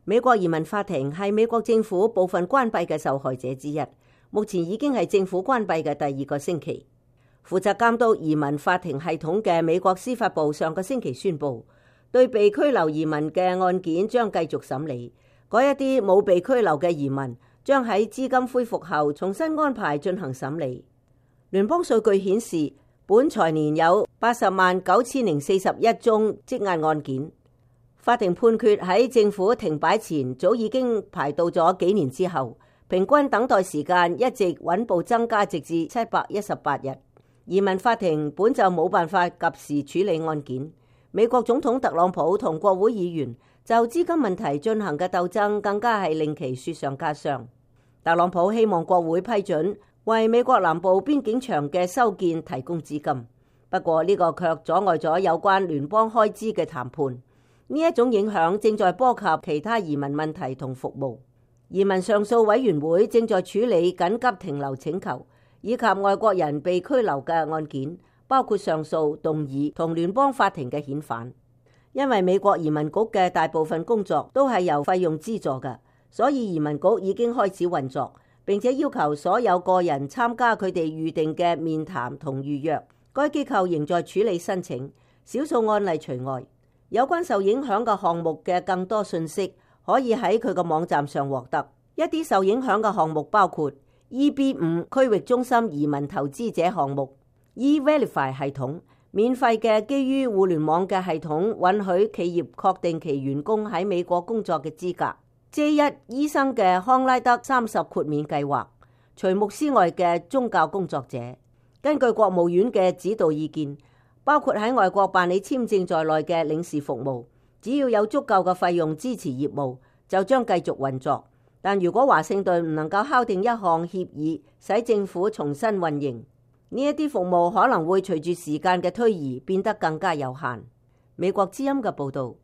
美國移民法庭係美國政府部分關閉嘅受害者之一，目前已經係政府關閉嘅第二個星期。負責監督移民法庭系統嘅美國司法部上個星期宣布，對被拘留移民嘅案件將繼續審理，嗰一啲冇被拘留嘅移民將喺資金恢復後重新安排進行審理。聯邦數據顯示，本財年有809041宗積壓案件。法庭判決喺政府停擺前早已經排到咗幾年之後，平均等待時間一直穩步增加，直至718日。移民法庭本就冇辦法及時處理案件。美國總統特朗普同國會議員就資金問題進行嘅鬥爭，更加係令其雪上加霜。特朗普希望國會批准為美國南部邊境牆嘅修建提供資金，不過呢個卻阻礙咗有關聯邦開支嘅談判。呢一種影響正在波及其他移民問題同服務。移民上訴委員會正在處理緊急停留請求以及外國人被拘留嘅案件，包括上訴、動議同聯邦法庭嘅遣返。因為美國移民局嘅大部分工作都係由費用資助嘅，所以移民局已經開始運作，並且要求所有個人參加佢哋預定嘅面談同預約。該機構仍在處理申請，少數案例除外。有關受影響嘅項目嘅更多信息可以喺佢個網站上獲得。一啲受影響嘅項目包括 EB5 區域中心移民投資者項目、E-Verify 系統，免費嘅基於互聯網嘅系統，允許企業確定其員工喺美國工作嘅資格。J1 醫生嘅康拉德30豁免計劃，除牧師外嘅宗教工作者，根據國務院嘅指導意見，包括喺外國辦理簽證在內嘅領事服務，只要有足夠嘅費用支持業務，就將繼續運作。但如果華盛頓唔能夠敲定一項協議，使政府重新運營，呢一啲服務可能會隨住時間嘅推移變得更加有限。美國之音嘅報導。